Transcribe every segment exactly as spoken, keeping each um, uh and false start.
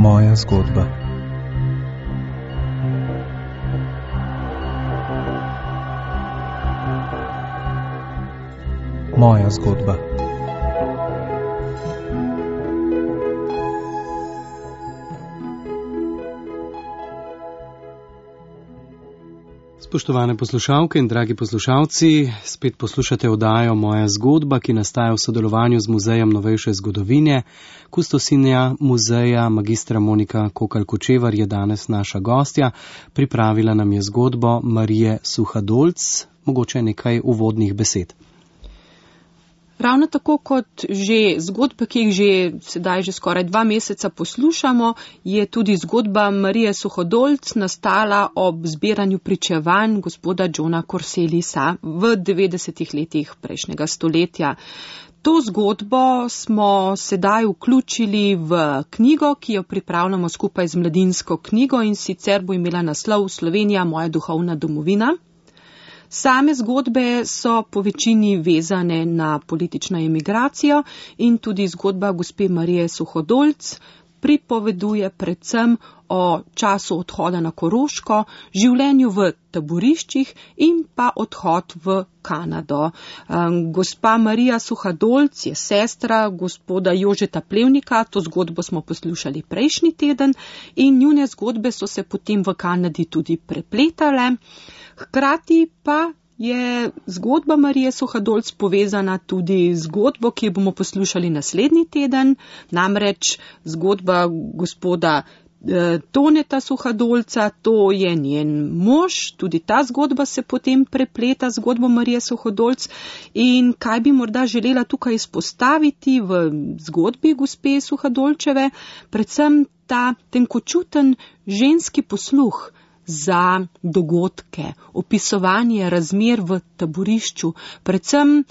Moja zgodba. Moja zgodba. Spoštovane poslušalke in dragi poslušalci, spet poslušate oddajo Moja zgodba, ki nastaja v sodelovanju z Muzejem novejše zgodovine. Kustosinja muzeja magistra Monika Kokalj-Kočevar je danes naša gostja. Pripravila nam je zgodbo Marije Suhadolc. Mogoče nekaj uvodnih besed. Ravno tako kot že zgodbe, ki jih že sedaj že skoraj dva meseca poslušamo, je tudi zgodba Marije Suhadolc nastala ob zbiranju pričevanj gospoda Johna Corselisa v devetdesetih letih prejšnjega stoletja. To zgodbo smo sedaj vključili v knjigo, ki jo pripravljamo skupaj z Mladinsko knjigo, in sicer bo imela naslov Slovenija, moja duhovna domovina. Same zgodbe so po večini vezane na politično emigracijo in tudi zgodba gospe Marije Suhadolc pripoveduje predvsem o času odhoda na Koroško, življenju v taboriščih in pa odhod v Kanado. Gospa Marija Suhadolc je sestra gospoda Jožeta Plevnika, to zgodbo smo poslušali prejšnji teden in njune zgodbe so se potem v Kanadi tudi prepletale. Hkrati pa je zgodba Marije Suhadolc povezana tudi z zgodbo, ki jo bomo poslušali naslednji teden, namreč zgodba gospoda eh, Toneta Suhadolca, to je njen mož, tudi ta zgodba se potem prepleta z zgodbo Marije Suhadolc. In kaj bi morda želela tukaj izpostaviti v zgodbi gospe Suhadolčeve, predvsem ta tenkočuten ženski posluh za dogodke, opisovanje razmer v taborišču, predvsem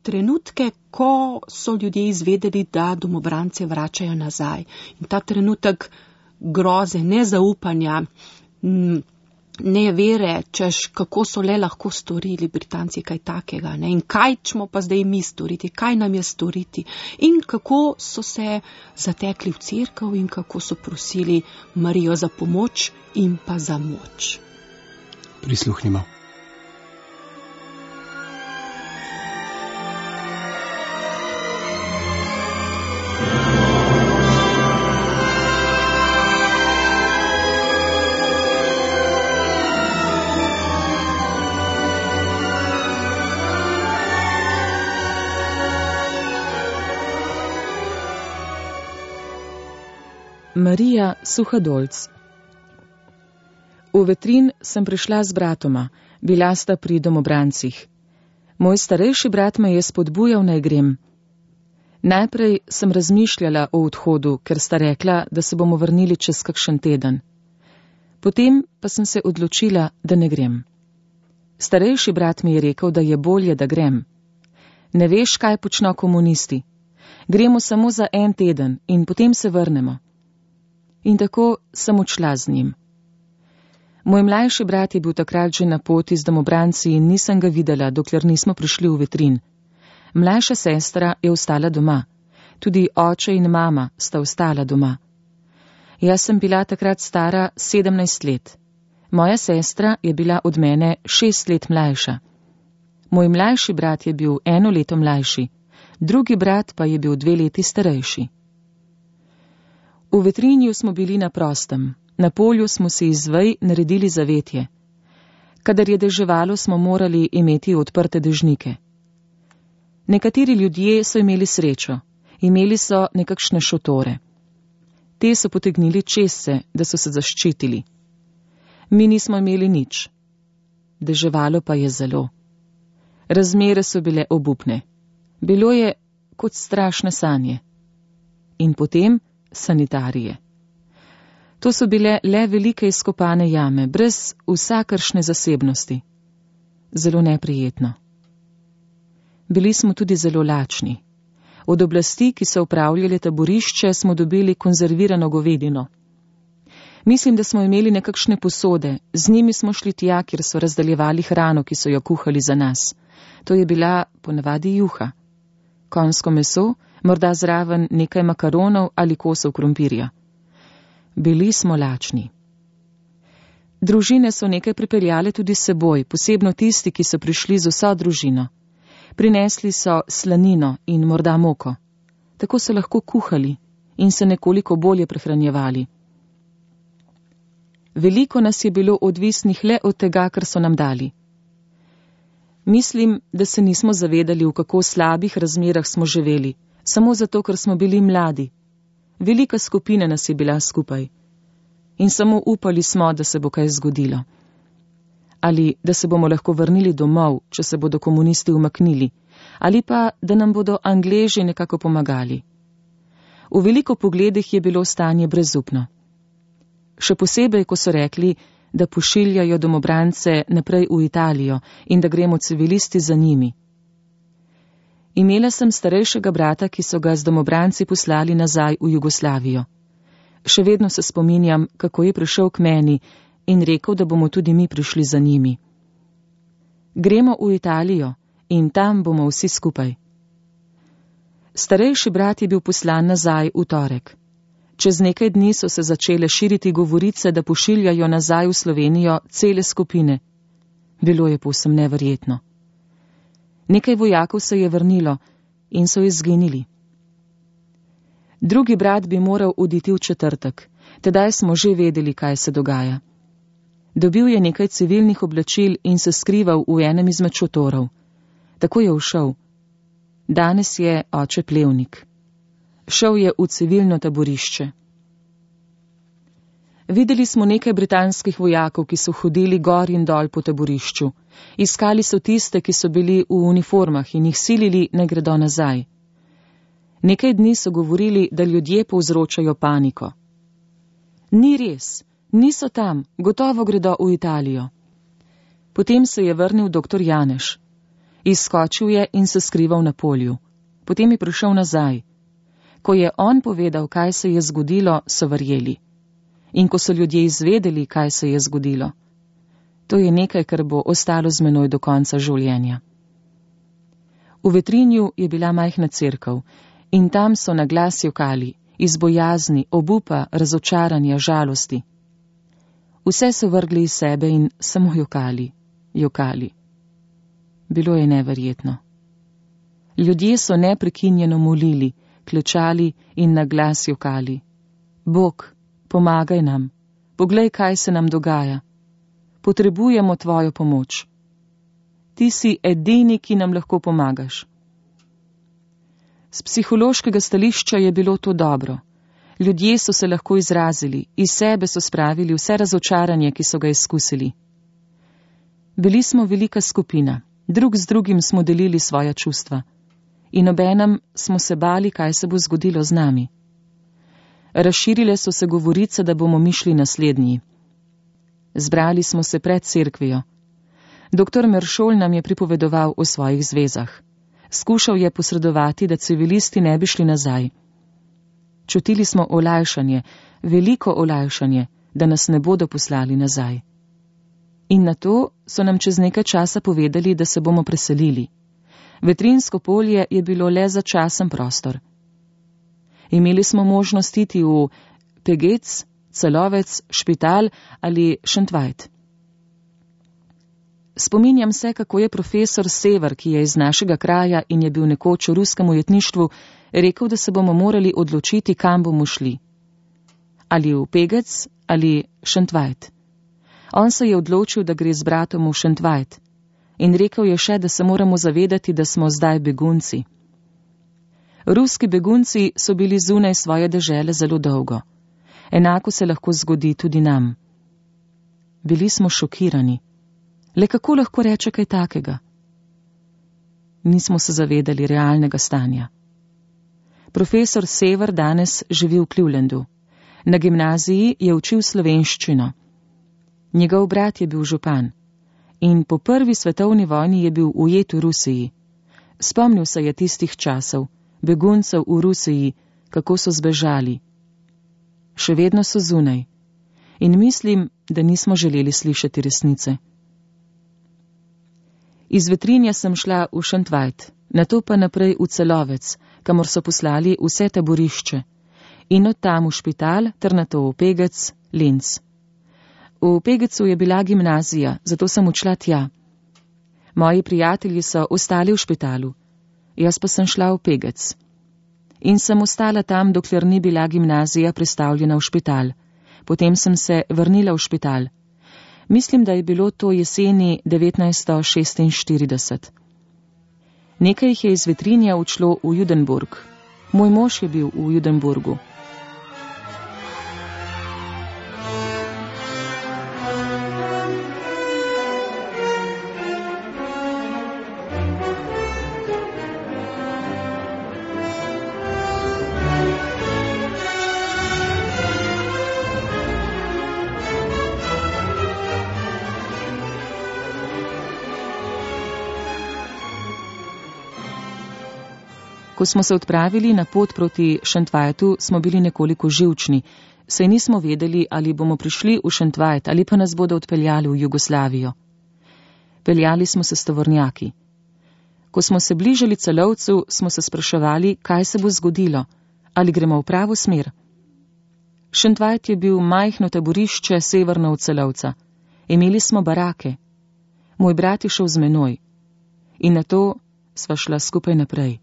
trenutke, ko so ljudje izvedeli, da domobrance vračajo nazaj. In ta trenutek groze, nezaupanja, nevere, češ kako so le lahko storili Britanci kaj takega, ne? In kaj ćemo pa zdaj mi storiti, kaj nam je storiti, in kako so se zatekli v cerkev in kako so prosili Marijo za pomoč in pa za moč. Prisluhnimo. Marija Suhadolc. V Vetrin sem prišla z bratoma, bila sta pri domobrancih. Moj starejši brat me je spodbujal, naj grem. Najprej sem razmišljala o odhodu, ker sta rekla, da se bomo vrnili čez kakšen teden. Potem pa sem se odločila, da ne grem. Starejši brat mi je rekel, da je bolje, da grem. Ne veš, kaj počno komunisti. Gremo samo za en teden in potem se vrnemo. In tako sem odšla z njim. Moj mlajši brat je bil takrat že na poti z domobranci in nisem ga videla, dokler nismo prišli v Vetrin. Mlajša sestra je ostala doma. Tudi oče in mama sta ostala doma. Jaz sem bila takrat stara sedemnajst let. Moja sestra je bila od mene šest let mlajša. Moj mlajši brat je bil eno leto mlajši, drugi brat pa je bil dve leti starejši. V Vetrinju smo bili na prostem, na polju smo si iz vej naredili zavetje. Kadar je deževalo, smo morali imeti odprte dežnike. Nekateri ljudje so imeli srečo, imeli so nekakšne šotore. Te so potegnili čezse, da so se zaščitili. Mi nismo imeli nič. Deževalo pa je zelo. Razmere so bile obupne. Bilo je kot strašne sanje. In potem sanitarije. To so bile le velike izkopane jame, brez vsakršne zasebnosti. Zelo neprijetno. Bili smo tudi zelo lačni. Od oblasti, ki so upravljali taborišče, smo dobili konzervirano govedino. Mislim, da smo imeli nekakšne posode, z njimi smo šli tja, kjer so razdaljevali hrano, ki so jo kuhali za nas. To je bila ponavadi juha. Konjsko meso, morda zraven nekaj makaronov ali kosov krompirja. Bili smo lačni. Družine so nekaj pripeljale tudi s seboj, posebno tisti, ki so prišli z vso družino. Prinesli so slanino in morda moko. Tako so lahko kuhali in se nekoliko bolje prehranjevali. Veliko nas je bilo odvisnih le od tega, kar so nam dali. Mislim, da se nismo zavedali, v kako slabih razmerah smo živeli, samo zato, ker smo bili mladi. Velika skupina nas je bila skupaj. In samo upali smo, da se bo kaj zgodilo. Ali da se bomo lahko vrnili domov, če se bodo komunisti umaknili, ali pa da nam bodo Angleži nekako pomagali. V veliko pogledih je bilo stanje brezupno. Še posebej, ko so rekli, da pošiljajo domobrance naprej v Italijo in da gremo civilisti za njimi. Imela sem starejšega brata, ki so ga z domobranci poslali nazaj v Jugoslavijo. Še vedno se spominjam, kako je prišel k meni in rekel, da bomo tudi mi prišli za njimi. Gremo v Italijo in tam bomo vsi skupaj. Starejši brat je bil poslan nazaj v torek. Čez nekaj dni so se začele širiti govorice, da pošiljajo nazaj v Slovenijo cele skupine. Bilo je povsem neverjetno. Nekaj vojakov se je vrnilo in so izginili. Drugi brat bi moral oditi v četrtek, tedaj smo že vedeli, kaj se dogaja. Dobil je nekaj civilnih oblačil in se skrival v enem izmed šotorov. Tako je ušel. Danes je oče plevnik. Šel je v civilno taborišče. Videli smo nekaj britanskih vojakov, ki so hodili gor in dol po taborišču. Iskali so tiste, ki so bili v uniformah in jih silili, ne gredo nazaj. Nekaj dni so govorili, da ljudje povzročajo paniko. Ni res, niso tam, gotovo gredo v Italijo. Potem se je vrnil doktor Janeš. Izskočil je in se skrival na polju. Potem je prišel nazaj. Ko je on povedal, kaj se je zgodilo, so verjeli. In ko so ljudje izvedeli, kaj se je zgodilo, to je nekaj, kar bo ostalo z menoj do konca življenja. V Vetrinju je bila majhna cerkev in tam so na glas jokali, iz bojazni, obupa, razočaranja, žalosti. Vse so vrgli iz sebe in samo jokali, jokali. Bilo je neverjetno. Ljudje so neprekinjeno molili, klečali in na glas jokali. Bog, pomagaj nam, poglej, kaj se nam dogaja. Potrebujemo tvojo pomoč. Ti si edini, ki nam lahko pomagaš. Z psihološkega stališča je bilo to dobro. Ljudje so se lahko izrazili, iz sebe so spravili vse razočaranje, ki so ga izkusili. Bili smo velika skupina, drug z drugim smo delili svoja čustva. In obenem smo se bali, kaj se bo zgodilo z nami. Razširile so se govorice, da bomo mi šli naslednji. Zbrali smo se pred cerkvijo. Doktor Meršol nam je pripovedoval o svojih zvezah. Skušal je posredovati, da civilisti ne bi šli nazaj. Čutili smo olajšanje, veliko olajšanje, da nas ne bodo poslali nazaj. In na to so nam čez nekaj časa povedali, da se bomo preselili. Vetrinsko polje je bilo le začasen prostor. Imeli smo možnost iti v Pegec, Celovec, Špital ali Šentvajt. Spominjam se, kako je profesor Sever, ki je iz našega kraja in je bil nekoč v ruskem ujetništvu, rekel, da se bomo morali odločiti, kam bomo šli. Ali v Pegec ali Šentvajt. On se je odločil, da gre z bratom v Šentvajt. In rekel je še, da se moramo zavedati, da smo zdaj begunci. Ruski begunci so bili zunaj svoje dežele zelo dolgo. Enako se lahko zgodi tudi nam. Bili smo šokirani. Le kako lahko reče kaj takega? Nismo se zavedali realnega stanja. Profesor Sever danes živi v Clevelandu. Na gimnaziji je učil slovenščino. Njegov brat je bil župan. In po prvi svetovni vojni je bil ujet v Rusiji. Spomnil se je tistih časov, beguncev v Rusiji, kako so zbežali. Še vedno so zunaj. In mislim, da nismo želeli slišati resnice. Iz Vetrinja sem šla v Šentvajt, nato pa naprej v Celovec, kamor so poslali vse taborišče. in od tam v špital ter nato v Pegec, Linz. V Pegecu je bila gimnazija, zato sem odšla tja. Moji prijatelji so ostali v špitalu, jaz pa sem šla v Pegec. In sem ostala tam, dokler ni bila gimnazija prestavljena v špital. Potem sem se vrnila v špital. Mislim, da je bilo to jeseni devetnajststo šestinštirideset. Nekaj jih je iz Vetrinja odšlo v Judenburg. Moj mož je bil v Judenburgu. Ko smo se odpravili na pot proti Šentvajtu, smo bili nekoliko živčni, saj nismo vedeli, ali bomo prišli v Šentvajt ali pa nas bodo odpeljali v Jugoslavijo. Peljali smo se s tovornjaki. Ko smo se bližali Celovcu, smo se spraševali, kaj se bo zgodilo, ali gremo v pravo smer. Šentvajt je bil majhno taborišče severno od Celovca. Imeli smo barake. Moj brat je šel z menoj. In nato sva šla skupaj naprej.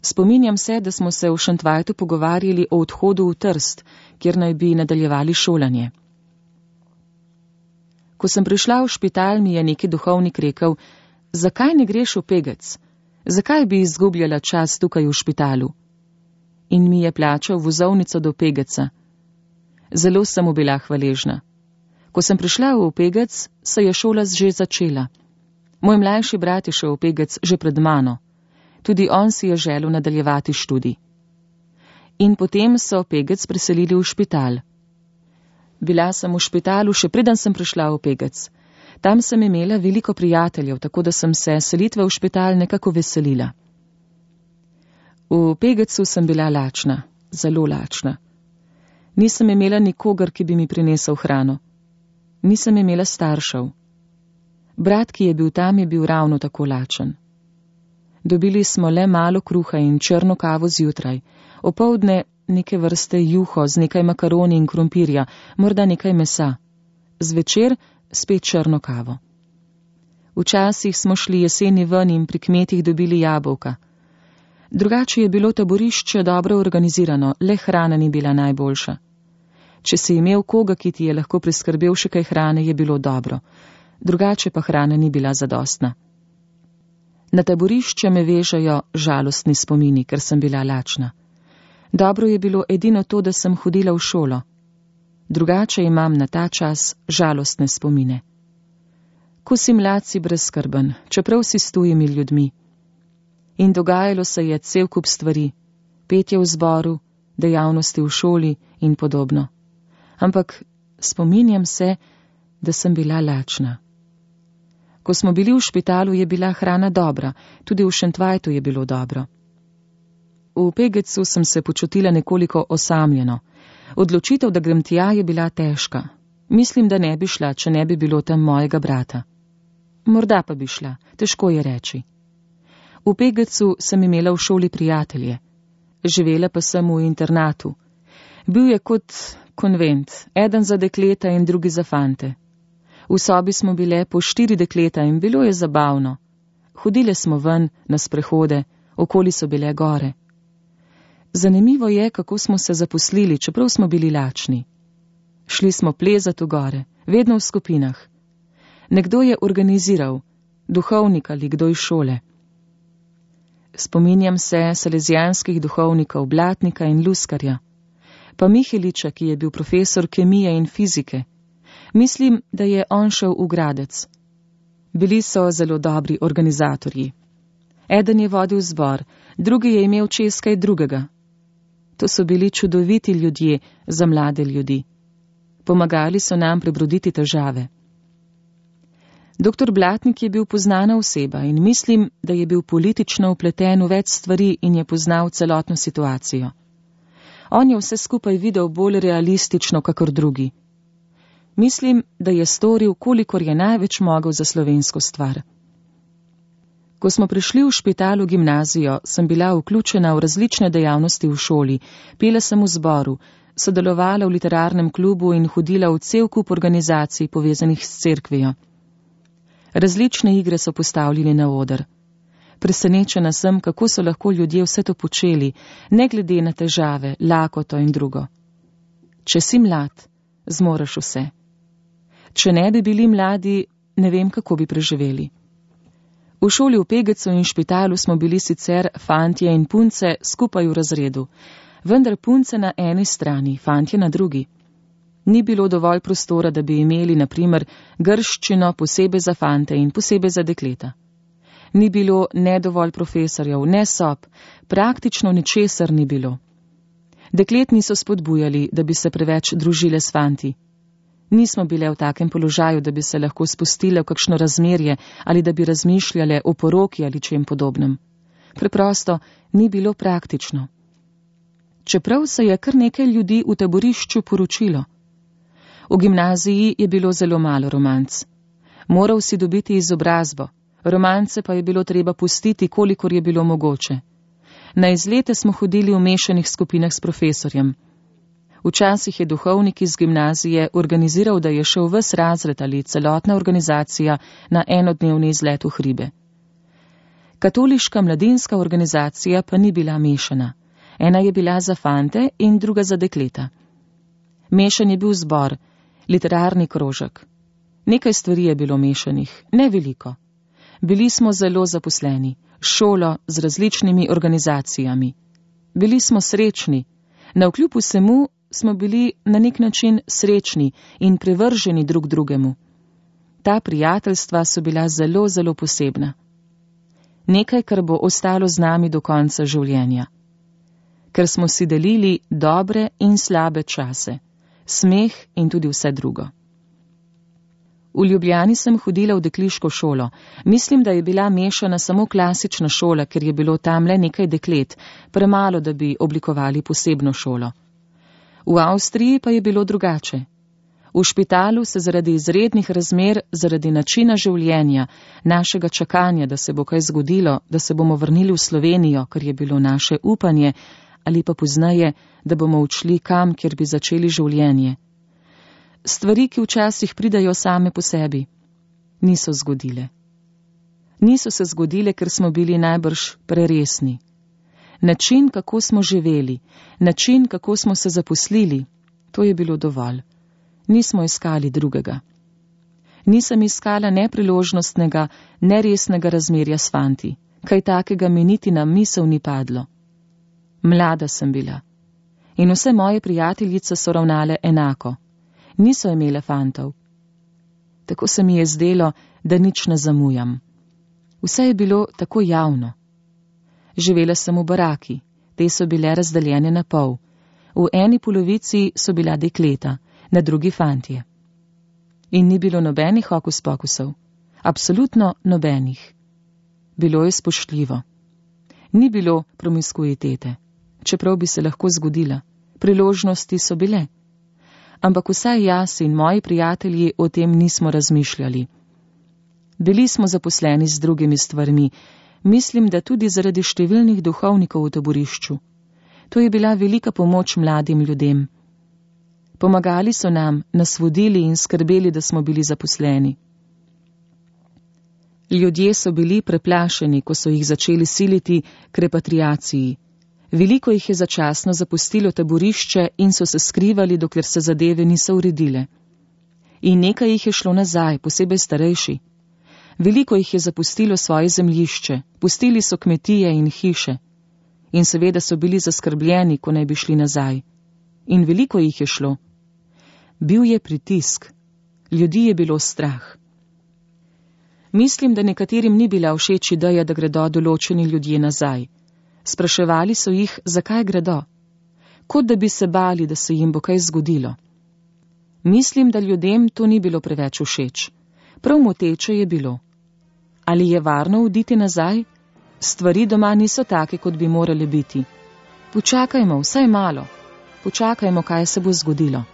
Spominjam se, da smo se v Šentvajtu pogovarjali o odhodu v Trst, kjer naj bi nadaljevali šolanje. Ko sem prišla v špital, mi je neki duhovnik rekel, zakaj ne greš v Pegec? Zakaj bi izgubljala čas tukaj v špitalu? In mi je plačal vozovnico do Pegeca. Zelo sem mu bila hvaležna. Ko sem prišla v Pegec, se je šola že začela. Moj mlajši brat je šel v Pegec že pred mano. Tudi on si je želel nadaljevati študij. In potem so Pegec preselili v špital. Bila sem v špitalu, še preden sem prišla v Pegec. Tam sem imela veliko prijateljev, tako da sem se selitve v špital nekako veselila. V Pegecu sem bila lačna, zelo lačna. Nisem imela nikogar, ki bi mi prinesel hrano. Nisem imela staršev. Brat, ki je bil tam, je bil ravno tako lačen. Dobili smo le malo kruha in črno kavo zjutraj, opoldne neke vrste juho z nekaj makaroni in krompirja, morda nekaj mesa. Zvečer spet črno kavo. Včasih smo šli jeseni ven in pri kmetih dobili jabolka. Drugače je bilo taborišče dobro organizirano, le hrana ni bila najboljša. Če si imel koga, ki ti je lahko priskrbel še kaj hrane, je bilo dobro. Drugače pa hrana ni bila zadostna. Na taborišče me vežejo žalostni spomini, ker sem bila lačna. Dobro je bilo edino to, da sem hodila v šolo. Drugače imam na ta čas žalostne spomine. Ko si mlad, si brezskrben, čeprav si s tujimi ljudmi. In dogajalo se je cel kup stvari, petje v zboru, dejavnosti v šoli in podobno. Ampak spominjam se, da sem bila lačna. Ko smo bili v špitalu, je bila hrana dobra, tudi v Šentvajtu je bilo dobro. V Pegecu sem se počutila nekoliko osamljeno. Odločitev, da grem tja, je bila težka. Mislim, da ne bi šla, če ne bi bilo tam mojega brata. Morda pa bi šla, težko je reči. V Pegecu sem imela v šoli prijatelje. Živela pa sem v internatu. Bil je kot konvent, eden za dekleta in drugi za fante. V sobi smo bile po štiri dekleta in bilo je zabavno. Hodile smo ven, na sprehode, okoli so bile gore. Zanimivo je, kako smo se zaposlili, čeprav smo bili lačni. Šli smo plezat v gore, vedno v skupinah. Nekdo je organiziral, duhovnik ali kdo iz šole. Spominjam se salezijanskih duhovnikov Blatnika in Luskarja, pa Miheliča, ki je bil profesor kemije in fizike. Mislim, da je on šel v Gradec. Bili so zelo dobri organizatorji. Eden je vodil zbor, drugi je imel čez kaj drugega. To so bili čudoviti ljudje za mlade ljudi. Pomagali so nam prebroditi težave. Doktor Blatnik je bil poznana oseba in mislim, da je bil politično vpleten v več stvari in je poznal celotno situacijo. On je vse skupaj videl bolj realistično, kakor drugi. Mislim, da je storil, kolikor je največ mogel za slovensko stvar. Ko smo prišli v špital v gimnazijo, sem bila vključena v različne dejavnosti v šoli, pela sem v zboru, sodelovala v literarnem klubu in hodila v cel kup organizacij povezanih s cerkvijo. Različne igre so postavljeni na oder. Presenečena sem, kako so lahko ljudje vse to počeli, ne glede na težave, lakoto in drugo. Če si mlad, zmoreš vse. Če ne bi bili mladi, ne vem, kako bi preživeli. V šoli v Pegecu in špitalu smo bili sicer fantje in punce skupaj v razredu, vendar punce na eni strani, fantje na drugi. Ni bilo dovolj prostora, da bi imeli, na primer, grščino posebej za fante in posebej za dekleta. Ni bilo ne dovolj profesorjev, ne sob, praktično ničesar ni bilo. Deklet niso spodbujali, da bi se preveč družile s fanti. Nismo bile v takem položaju, da bi se lahko spustile v kakšno razmerje ali da bi razmišljale o poroki ali čem podobnem. Preprosto ni bilo praktično. Čeprav se je kar nekaj ljudi v taborišču poročilo. V gimnaziji je bilo zelo malo romanc. Moral si dobiti izobrazbo, romance pa je bilo treba pustiti, kolikor je bilo mogoče. Na izlete smo hodili v mešanih skupinah s profesorjem. Včasih je duhovnik iz gimnazije organiziral, da je šel ves razred ali celotna organizacija na enodnevni izlet v hribe. Katoliška mladinska organizacija pa ni bila mešana. Ena je bila za fante in druga za dekleta. Mešan je bil zbor, literarni krožek. Nekaj stvari je bilo mešanih, ne veliko. Bili smo zelo zaposleni, šolo z različnimi organizacijami. Bili smo srečni, navkljub vsemu smo bili na nek način srečni in privrženi drug drugemu. Ta prijateljstva so bila zelo, zelo posebna. Nekaj, kar bo ostalo z nami do konca življenja. Ker smo si delili dobre in slabe čase, smeh in tudi vse drugo. V Ljubljani sem hodila v dekliško šolo. Mislim, da je bila mešana samo klasična šola, ker je bilo tam le nekaj deklet, premalo, da bi oblikovali posebno šolo. V Avstriji pa je bilo drugače. V špitalu se zaradi izrednih razmer, zaradi načina življenja, našega čakanja, da se bo kaj zgodilo, da se bomo vrnili v Slovenijo, kar je bilo naše upanje, ali pa poznaje, da bomo odšli kam, kjer bi začeli življenje. Stvari, ki včasih pridajo same po sebi, niso zgodile. Niso se zgodile, ker smo bili najbrž preresni. Način, kako smo živeli, način, kako smo se zaposlili, to je bilo dovolj. Nismo iskali drugega. Nisem iskala ne priložnostnega, ne resnega razmerja s fanti, kaj takega mi niti na misel ni padlo. Mlada sem bila in vse moje prijateljice so ravnale enako. Niso imele fantov. Tako se mi je zdelo, da nič ne zamujam. Vse je bilo tako javno. Živela sem v baraki, te so bile razdeljene na pol. V eni polovici so bila dekleta, na drugi fantje. In ni bilo nobenih hokus pokusov, absolutno nobenih. Bilo je spoštljivo. Ni bilo promiskuitete, čeprav bi se lahko zgodila. Priložnosti so bile. Ampak vsaj jaz in moji prijatelji o tem nismo razmišljali. Bili smo zaposleni z drugimi stvarmi, mislim, da tudi zaradi številnih duhovnikov v taborišču. To je bila velika pomoč mladim ljudem. Pomagali so nam, nas vodili in skrbeli, da smo bili zaposleni. Ljudje so bili preplašeni, ko so jih začeli siliti k repatriaciji. Veliko jih je začasno zapustilo taborišče in so se skrivali, dokler se zadeve niso uredile. In nekaj jih je šlo nazaj, posebej starejši. Veliko jih je zapustilo svoje zemljišče, pustili so kmetije in hiše. In seveda so bili zaskrbljeni, ko naj bi šli nazaj. In veliko jih je šlo. Bil je pritisk. Ljudi je bilo strah. Mislim, da nekaterim ni bila všeč ideja, da gredo določeni ljudje nazaj. Spraševali so jih, zakaj gredo. Kot da bi se bali, da se jim bo kaj zgodilo. Mislim, da ljudem to ni bilo preveč všeč. Prav moteče je bilo. Ali je varno oditi nazaj? Stvari doma niso take, kot bi morale biti. Počakajmo, vsaj malo. Počakajmo, kaj se bo zgodilo.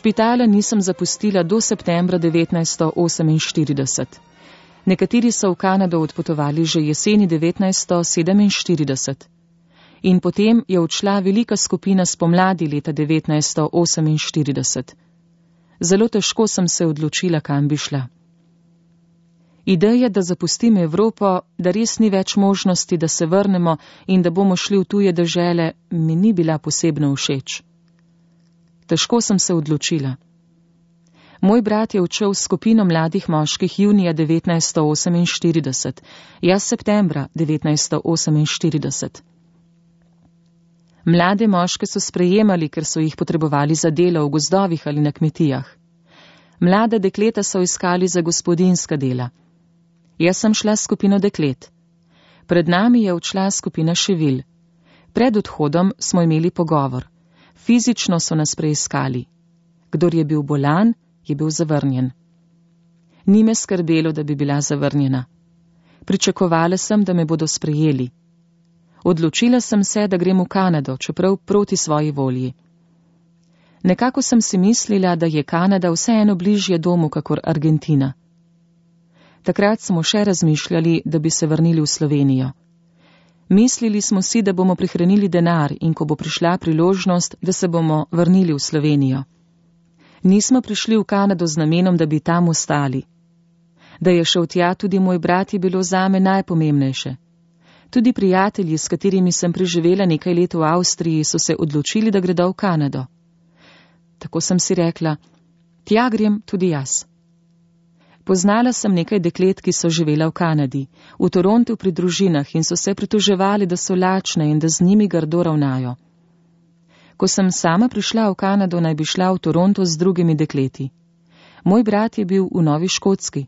Špitala nisem zapustila do septembra devetnajststo oseminštirideset. Nekateri so v Kanado odpotovali že jeseni devetnajststo sedeminštirideset. In potem je odšla velika skupina spomladi leta devetnajststo oseminštirideset. Zelo težko sem se odločila, kam bi šla. Ideja, da zapustim Evropo, da res ni več možnosti, da se vrnemo in da bomo šli v tuje dežele, mi ni bila posebno všeč. Težko sem se odločila. Moj brat je odšel s skupino mladih moških junija devetnajststo oseminštirideset, jaz septembra devetnajststo oseminštirideset. Mlade moške so sprejemali, ker so jih potrebovali za delo v gozdovih ali na kmetijah. Mlada dekleta so iskali za gospodinjska dela. Jaz sem šla s skupino deklet. Pred nami je odšla skupina ševil. Pred odhodom smo imeli pogovor. Fizično so nas preiskali. Kdor je bil bolan, je bil zavrnjen. Ni me skrbelo, da bi bila zavrnjena. Pričakovala sem, da me bodo sprejeli. Odločila sem se, da grem v Kanado, čeprav proti svoji volji. Nekako sem si mislila, da je Kanada vseeno bližje domu kakor Argentina. Takrat smo še razmišljali, da bi se vrnili v Slovenijo. Mislili smo si, da bomo prihranili denar in ko bo prišla priložnost, da se bomo vrnili v Slovenijo. Nismo prišli v Kanado z namenom, da bi tam ostali. Da je šel tja tudi moj brat, je bilo zame najpomembnejše. Tudi prijatelji, s katerimi sem preživela nekaj let v Avstriji, so se odločili, da gredo v Kanado. Tako sem si rekla, tja grem tudi jaz. Poznala sem nekaj deklet, ki so živela v Kanadi, v Torontu pri družinah in so se pritoževali, da so lačne in da z njimi grdo ravnajo. Ko sem sama prišla v Kanado, naj bi šla v Toronto z drugimi dekleti. Moj brat je bil v Novi Škotski.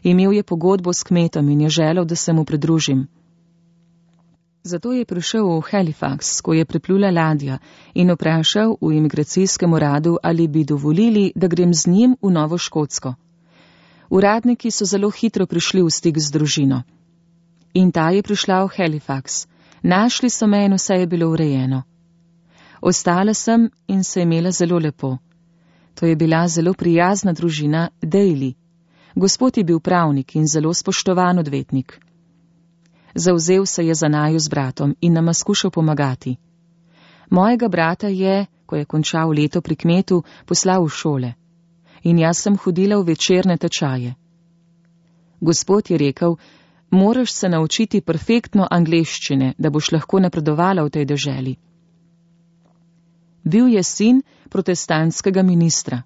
Imel je pogodbo s kmetom in je želel, da se mu pridružim. Zato je prišel v Halifax, ko je priplula ladja, in vprašal v imigracijskem uradu, ali bi dovolili, da grem z njim v Novo Škotsko. Uradniki so zelo hitro prišli v stik z družino. In ta je prišla v Halifax. Našli so me in vse je bilo urejeno. Ostala sem in se imela zelo lepo. To je bila zelo prijazna družina Daly. Gospod je bil pravnik in zelo spoštovan odvetnik. Zavzel se je za naju z bratom in nama skušal pomagati. Mojega brata je, ko je končal leto pri kmetu, poslal v šole. In jaz sem hodila v večerne tečaje. Gospod je rekel, moraš se naučiti perfektno angleščine, da boš lahko napredovala v tej deželi. Bil je sin protestantskega ministra.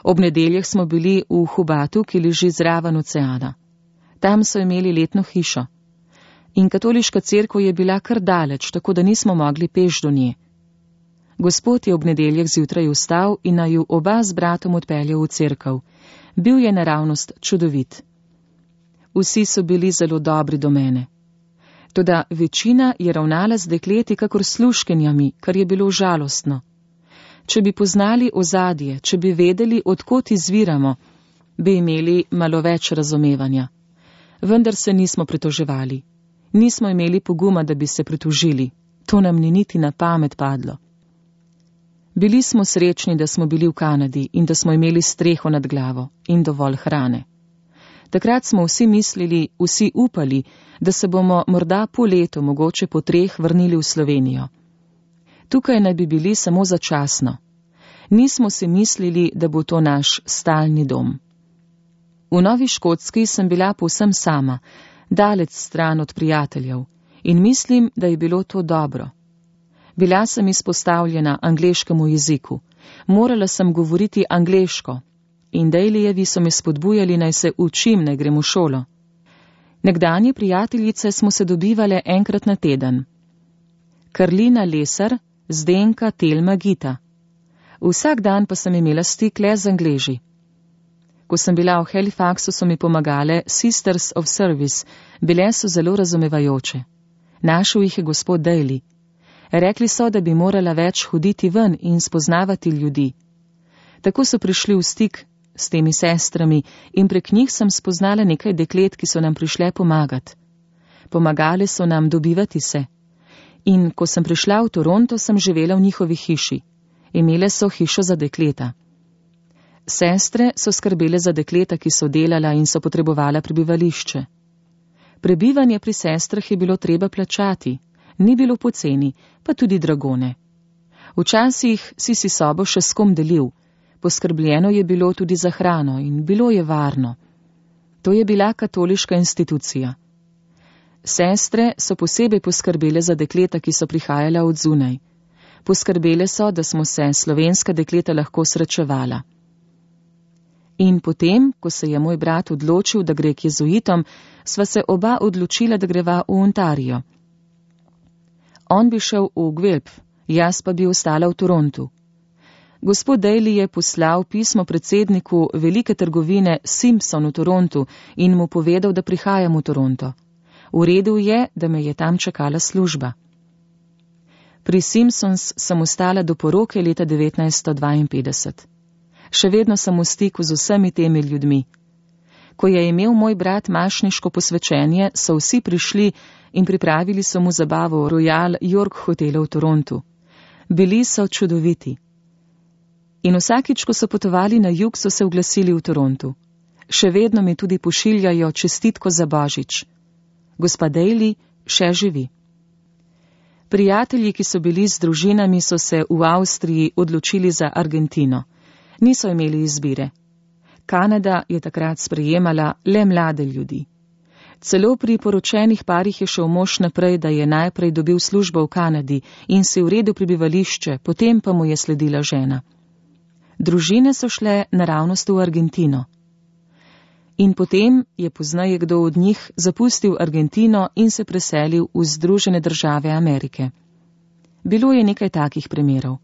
Ob nedeljah smo bili v Hubatu, ki leži zraven oceana. Tam so imeli letno hišo. In katoliška cerkev je bila kar daleč, tako da nismo mogli peš do nje. Gospod je ob nedeljah zjutraj vstal in naju oba z bratom odpeljal v cerkev. Bil je naravnost čudovit. Vsi so bili zelo dobri do mene. Toda večina je ravnala z dekleti kakor služkinjami, kar je bilo žalostno. Če bi poznali ozadje, če bi vedeli, odkot izviramo, bi imeli malo več razumevanja. Vendar se nismo pritoževali. Nismo imeli poguma, da bi se pritožili. To nam ni niti na pamet padlo. Bili smo srečni, da smo bili v Kanadi in da smo imeli streho nad glavo in dovolj hrane. Takrat smo vsi mislili, vsi upali, da se bomo morda po letu, mogoče po treh, vrnili v Slovenijo. Tukaj naj bi bili samo začasno. Nismo si mislili, da bo to naš stalni dom. V Novi Škotski sem bila povsem sama, daleč stran od prijateljev, in mislim, da je bilo to dobro. Bila sem izpostavljena angleškemu jeziku, morala sem govoriti angleško in Dalyjevi so me spodbujali, naj se učim, naj grem v šolo. Nekdanje prijateljice smo se dobivale enkrat na teden. Karlina Lesar, Zdenka Telma Gita. Vsak dan pa sem imela stik le z Angleži. Ko sem bila v Halifaxu, so mi pomagale Sisters of Service, bile so zelo razumevajoče. Našel jih je gospod Daly. Rekli so, da bi morala več hoditi ven in spoznavati ljudi. Tako so prišli v stik s temi sestrami in prek njih sem spoznala nekaj deklet, ki so nam prišle pomagati. Pomagale so nam dobivati se. In ko sem prišla v Toronto, sem živela v njihovi hiši. Imele so hišo za dekleta. Sestre so skrbele za dekleta, ki so delala in so potrebovala prebivališče. Prebivanje pri sestrah je bilo treba plačati, ni bilo poceni, pa tudi dragone. Včasih si si sobo še s kom delil, poskrbljeno je bilo tudi za hrano in bilo je varno. To je bila katoliška institucija. Sestre so posebej poskrbele za dekleta, ki so prihajala od zunaj. Poskrbele so, da smo se slovenska dekleta lahko srečevala. In potem, ko se je moj brat odločil, da gre k jezuitom, sva se oba odločila, da greva v Ontario. On bi šel v Guelph, jaz pa bi ostala v Torontu. Gospod Daly je poslal pismo predsedniku velike trgovine Simpson v Torontu in mu povedal, da prihajam v Toronto. Uredil je, da me je tam čakala služba. Pri Simpsons sem ostala do poroke leta devetnajststo dvainpetdeset. Še vedno sem v stiku z vsemi temi ljudmi. Ko je imel moj brat mašniško posvečenje, so vsi prišli in pripravili so mu zabavo v Royal York hotelu v Torontu. Bili so čudoviti. In vsakič, ko so potovali na jug, so se oglasili v Torontu. Še vedno mi tudi pošiljajo čestitko za Božič. Gospa Daly še živi. Prijatelji, ki so bili z družinami, so se v Avstriji odločili za Argentino. Niso imeli izbire. Kanada je takrat sprejemala le mlade ljudi. Celo pri poročenih parih je šel mož naprej, da je najprej dobil službo v Kanadi in si uredil prebivališče, potem pa mu je sledila žena. Družine so šle naravnost v Argentino. In potem je poznaje kdo od njih zapustil Argentino in se preselil v Združene države Amerike. Bilo je nekaj takih primerov.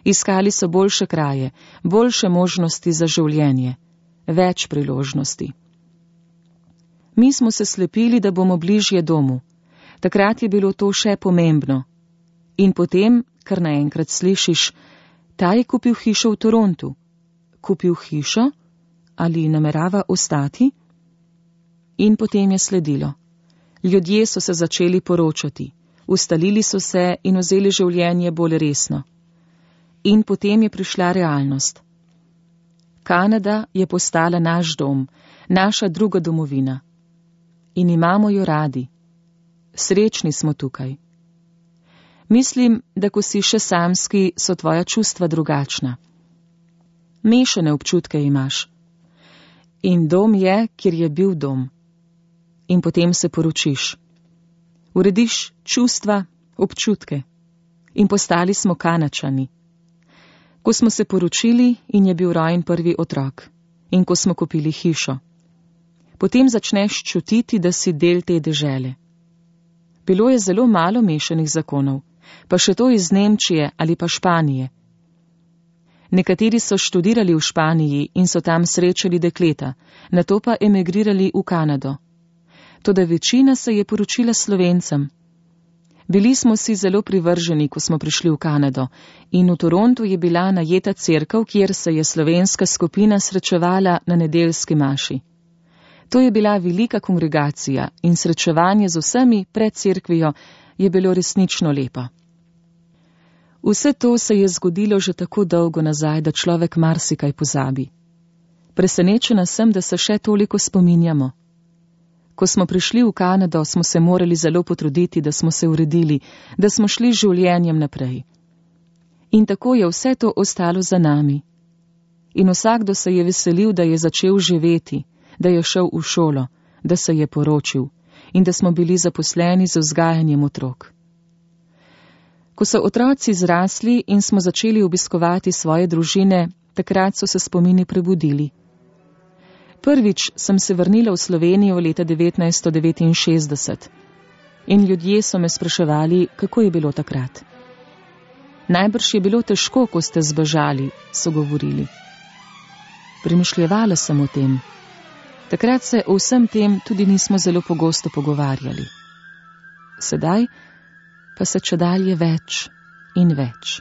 Iskali so boljše kraje, boljše možnosti za življenje, več priložnosti. Mi smo se slepili, da bomo bližje domu. Takrat je bilo to še pomembno. In potem, kar naenkrat slišiš, ta je kupil hišo v Torontu. Kupil hišo? Ali namerava ostati? In potem je sledilo. Ljudje so se začeli poročati, ustalili so se in vzeli življenje bolj resno. In potem je prišla realnost. Kanada je postala naš dom, naša druga domovina. In imamo jo radi. Srečni smo tukaj. Mislim, da ko si še samski, so tvoja čustva drugačna. Mešane občutke imaš. In dom je, kjer je bil dom. In potem se poročiš. Urediš čustva, občutke. In postali smo Kanačani. Ko smo se poročili in je bil rojen prvi otrok. In ko smo kupili hišo. Potem začneš čutiti, da si del te dežele. Bilo je zelo malo mešanih zakonov, pa še to iz Nemčije ali pa Španije. Nekateri so študirali v Španiji in so tam srečali dekleta, nato pa emigrirali v Kanado. Toda večina se je poročila Slovencem. Bili smo si zelo privrženi, ko smo prišli v Kanado, in v Torontu je bila najeta cerkev, kjer se je slovenska skupina srečevala na nedeljski maši. To je bila velika kongregacija in srečevanje z vsemi pred cerkvijo je bilo resnično lepo. Vse to se je zgodilo že tako dolgo nazaj, da človek marsikaj pozabi. Presenečena sem, da se še toliko spominjamo. Ko smo prišli v Kanado, smo se morali zelo potruditi, da smo se uredili, da smo šli z življenjem naprej. In tako je vse to ostalo za nami. In vsakdo se je veselil, da je začel živeti, da je šel v šolo, da se je poročil in da smo bili zaposleni z vzgajanjem otrok. Ko so otroci zrasli in smo začeli obiskovati svoje družine, takrat so se spomini prebudili. Prvič sem se vrnila v Slovenijo leta devetnajststo devetinšestdeset in ljudje so me spraševali, kako je bilo takrat. Najbrž je bilo težko, ko ste zbežali, so govorili. Premišljevala sem o tem. Takrat se o vsem tem tudi nismo zelo pogosto pogovarjali. Sedaj pa se čedalje več in več.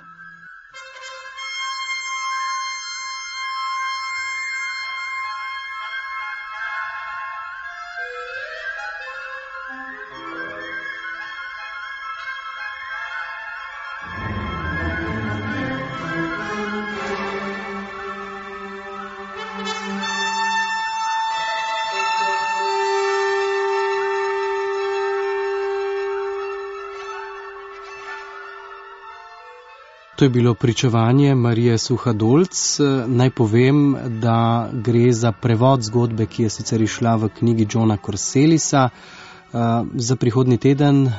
To je bilo pričevanje Marije Suhadolc. Naj povem, da gre za prevod zgodbe, ki je sicer išla v knjigi Johna Corselisa. Za prihodnji teden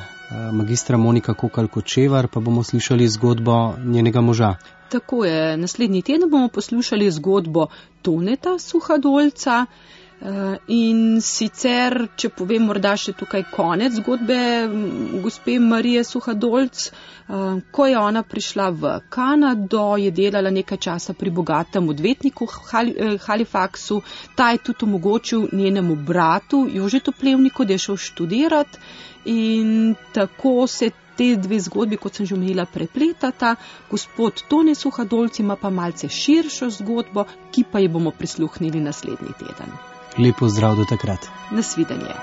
magistra Monika Kokalj-Kočevar pa bomo slišali zgodbo njenega moža. Tako je, naslednji teden bomo poslušali zgodbo Toneta Suhadolca. In sicer, če povem morda še tukaj konec zgodbe gospe Marije Suhadolc, ko je ona prišla v Kanado, je delala nekaj časa pri bogatem odvetniku v Halifaxu, ta je tudi omogočil njenemu bratu Jožetu Plevniku, da je šel študirati in tako se te dve zgodbi, kot sem že omenila, prepletata. Gospod Tone Suhadolc ima pa malce širšo zgodbo, ki pa ji bomo prisluhnili naslednji teden. Lepo zdrav do takrat. Nasvidenje.